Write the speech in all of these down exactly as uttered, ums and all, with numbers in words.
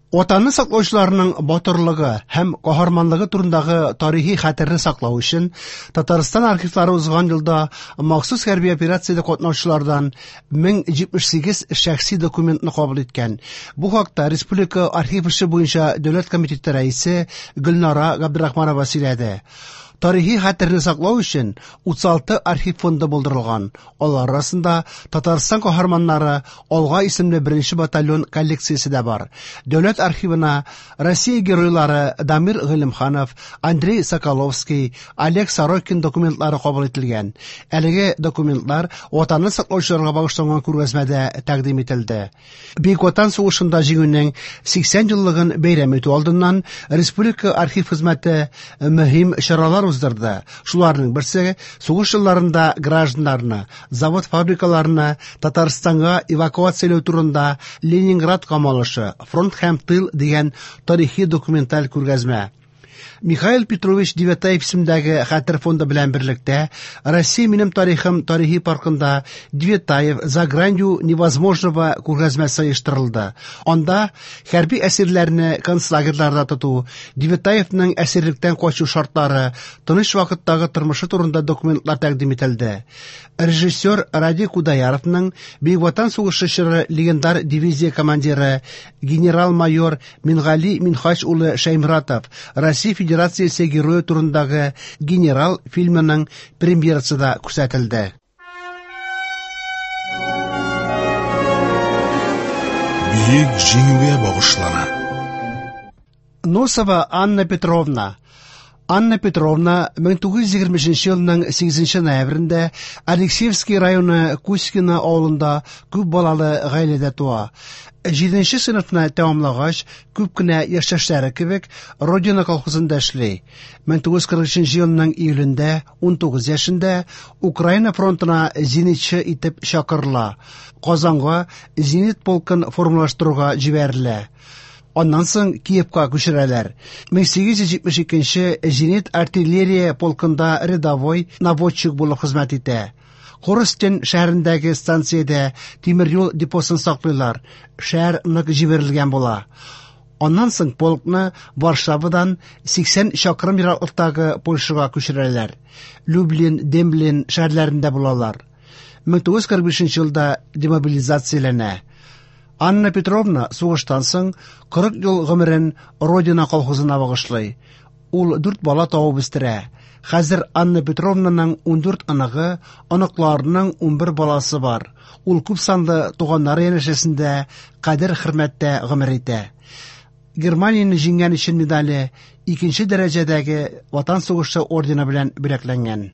Ватанны саклаучыларның батырлыгы һәм каһарманлыгы турындагы тарихи хәтерне саклау өчен Татарстан архивлары узган елда махсус хәрби операциядә катнашучылардан мең җитмеш сигез шәхси документны кабул иткән. Бу хакта Республика архив эше буенча дәүләт комитеты рәисе Гөлнара Габдрахманова сөйләде. Тарихи хәтерне саклау өчен утыз алты архив фонды булдырылган. Алар арасында Татарстан каһарманнары Алга исемле беренче батальон коллекциясе дә бар. Дәүләт архивына Россия геройлары Дамир Гыйлемханов, Андрей Соколовский, Олег Сорокин документлары кабул ителгән. Әлеге документлар Ватанны саклаучыларга багышланган күргәзмәдә тәкъдим ителде. Бөек Ватан сугышында җиңүнең сиксән еллыгын бәйрәм итү алдыннан Республика архив хезмәте мөһим чаралар уздырды. Шуларның берсе сугыш елларында гражданнарны, завод-фабрикаларны Татарстанга эвакуацияләү турында Ленинград камалышы, фронт һәм тыл дигән тарихи документаль күргәзмә. Михаил Петрович Девятаев исемендәге Хәтер фонды белән берлектә Россия минем тарихым тарихи паркында Девятаев за гранью невозможного күргәзмәсе оештырылды. Анда хәрби әсирләрне концлагерьларда тоту, Девятаевның әсирлектән качу шартлары, тыныч вакыттагы тормышы турында документлар тәкъдим ителде. Режиссер Ради Кудаяровның Бөек Ватан сугышы чоры легендар дивизия командиры генерал-майор Мингали Минхач улы Шәйморатов Россия Федерациясе герое турындагы Генерал фильмының премьерасы да күрсәтелде. Бөек Җиңүгә багышлана. Носова Анна Петровна. Анна Петровна мең тугыз йөз егерме өченче елның сигезенче ноябрендә Алексеевский районы Кузькино авылында күп балалы гаиләдә туа. Җиденче сыйныфны тәмамлагач, күп кенә яшьтәшләре кебек Родина колхозында эшли. Мең тугыз йөз кырык өченче елның июлендә ун тугыз яшендә Украина фронтына зенитчы итеп чакырыла. Казанга зенит полкын формалаштыруга җибәрелә. Аннан соң Киевка күчерәләр. Мең сигез йөз җитмеш икенче зенит артиллерия полкында рядовой наводчик булып хезмәт итә. Коростень шәһәрендәге станциядә тимер юл депосын саклыйлар. Шәһәр нык җибәрелгән була. Аннан соң полкны Варшавадан сиксән чакрым ераклыктагы Польшага күчерәләр. Люблин, Демблин шәһәрләрендә булалар. Мең тугыз йөз кырык бишенче елда демобилизацияләнә. Анна Петровна сугыштан соң кырык ел гомерен Родина колхозына багышлый. Ул дүрт бала табып үстерә. Хәзер Анна Петровнаның ундүрт оныгы, оныкларының унбер баласы бар. Ул күп санлы туганнары янәшәсендә кадер-хөрмәттә гомер итә. Германияне җиңгән өчен медале икенче дәрәҗәдәге Ватан сугышы ордены белән бүләкләнгән.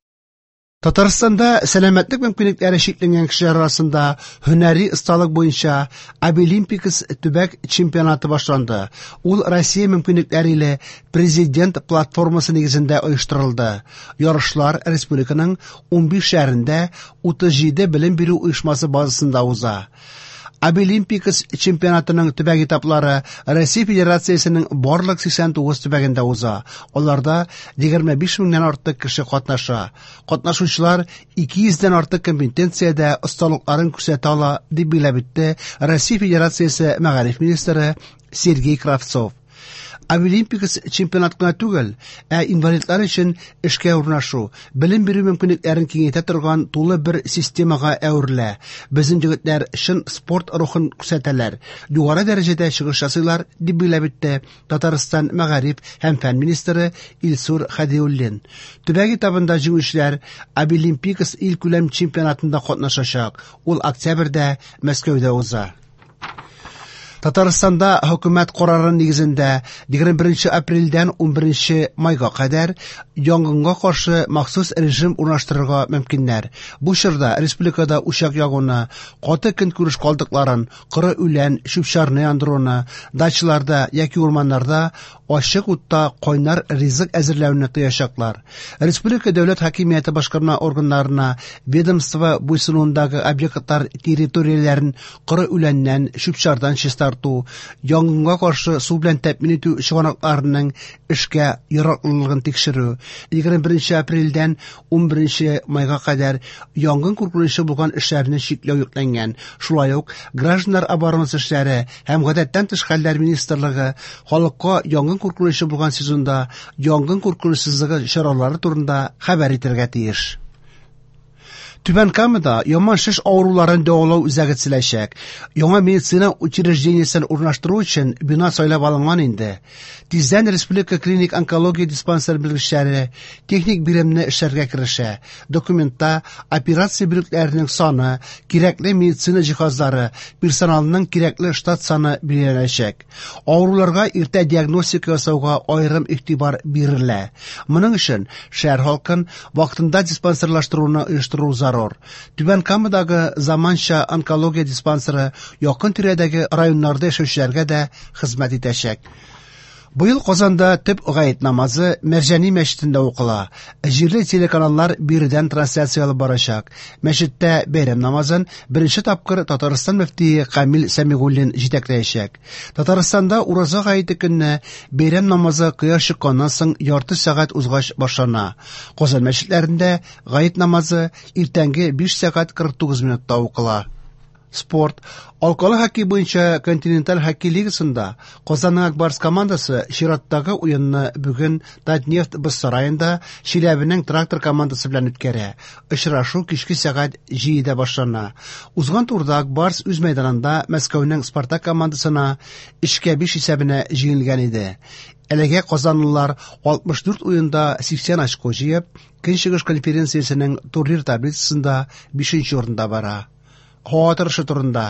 Татарстанда сәламәтлек мөмкинлекләре чикләнгән кешеләр арасында һөнәри осталык буенча Абилимпикс төбәк чемпионаты башланды. Ул Россия мөмкинлекләре иле президент платформасы нигезендә оештырылды. Ярышлар республиканың унбиш шәһәрендә утыз җиде белем бирү оешмасы базасында уза. Абилимпикс чемпионатының төбәк этаплары Россия Федерациясенең барлык сиксән тугыз төбәгендә уза. Аларда егерме биш меңнән артык кеше катнаша. Катнашучылар ике йөздән артык компетенциядә осталыкларын күрсәтә ала, дип билгеләп үтте Россия Федерациясе мәгариф министры Сергей Кравцов. Абилимпикс чемпионат кына түгел, ә инвалидлар өчен эшкә урнашу, белем бирү мөмкинлекләрен киңәйтә торган тулы бер системага әверелә. Безнең егетләр чын спорт рухын күрсәтәләр, югары дәрәҗәдә чыгыш ясыйлар, дип билгеләп үтте Татарстан мәгариф һәм фән министры Илсур Хәдиуллин. Төбәк этабында җиңүчеләр Абилимпикс илкүләм чемпионатында катнашачак. Ул октябрьдә Мәскәүдә уза. Татарстанда хөкүмәт карары нигезендә егерме беренче апрельдән унберенче майга кадәр янгынга каршы махсус режим урнаштырырга мөмкиннәр. Бу чорда республикада учак ягуны, каты көнкүреш калдыкларын, коры үлән, чүп-чарны яндыруны, дачаларда яки урманнарда ачык утта кайнар ризык әзерләүне тыячаклар. Республика дәүләт хакимияте башкарма органнарына ведомство буйсынуындагы объектлар территорияләрен коры үләннән, чүп-чардан чистарту, чистарту, янгынга каршы су белән тәэмин итү чыганакларының эшкә яраклылыгын тикшерү, егерме беренче апрельдән унберенче майга кадәр янгын куркынычы булган эшләрне чикләү йөкләнгән. Шулай ук гражданнар оборонасы эшләре һәм гадәттән тыш хәлләр министрлыгы халыкка янгын куркынычы булган сезонда янгын куркынычсызлыгы чаралары турында хәбәр итәргә тиеш. Түбән Камада яман шеш авыруларын дәвалау үзәге төзеләчәк. Яңа медицина учреждениесен урнаштыру өчен бина сайлап алынган инде. Тиздән Республика клиник онкология диспансер белгечләре техник биремне эшләргә керешә. Документта операция бүлекләренең саны, кирәкле медицина җиһазлары, персоналның кирәкле штат саны билгеләнәчәк. Авыруларга иртә диагностика ясауга аерым игътибар бирелә. Моның өчен шәһәр халкын вакытында диспансерлаштыруны оештыру зарур. Түбән Камадагы заманча онкология диспансеры якын тирәдәге районнарда яшәүчеләргә дә хезмәт итәчәк. Быел Казанда төп гает намазы Мәрҗани мәчетендә укыла. Җирле телеканаллар биредән трансляция алып барачак. Мәчеттә бәйрәм намазын беренче тапкыр Татарстан мөфтие Камил Сәмигуллин җитәкләячәк. Татарстанда ураза гаете көнне бәйрәм намазы кояш чыкканнан соң ярты сәгать узгач башлана. Казан мәчетләрендә гает намазы иртәнге биш сәгать кырык тугыз минутта укыла. Спорт. Алкалы хоккей буенча континенталь хоккей лигасында Казанның Ак Барс командасы чираттагы уенны бүген Татнефть боз сараенда Чиләбенең Трактор командасы белән үткәрә. Очрашу кичке сәгать җидедә башлана. Узган турда Ак Барс үз мәйданында Мәскәүнең Спартак командасына өчкә биш исәбенә җиңелгән иде. Әлегә казанлылар алтмыш дүрт уенда сиксән очко җыеп, Көнчыгыш конференциясенең турнир таблицасында бишенче урында бара. Һава торышы турында.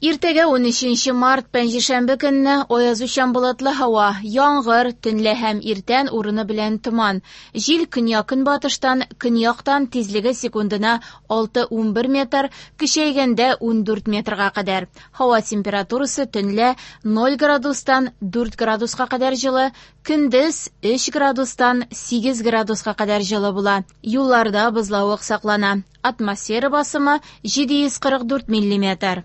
Иртәгә унөченче март пәнҗешәмбе көнне аязучан болытлы һава, яңгыр, төнлә һәм иртән урыны белән томан. Җил көньяк-көнбатыштан, көньяктан тизлеге секундына алты унбер метр, көчәйгәндә ундүрт метрга кадәр. Һава температурасы төнлә ноль градустан дүрт градуска кадәр җылы, көндез өч градустан сигез градуска кадәр җылы була. Юлларда бозлавык саклана. Атмосфера басымы җиде йөз кырык дүрт миллиметр.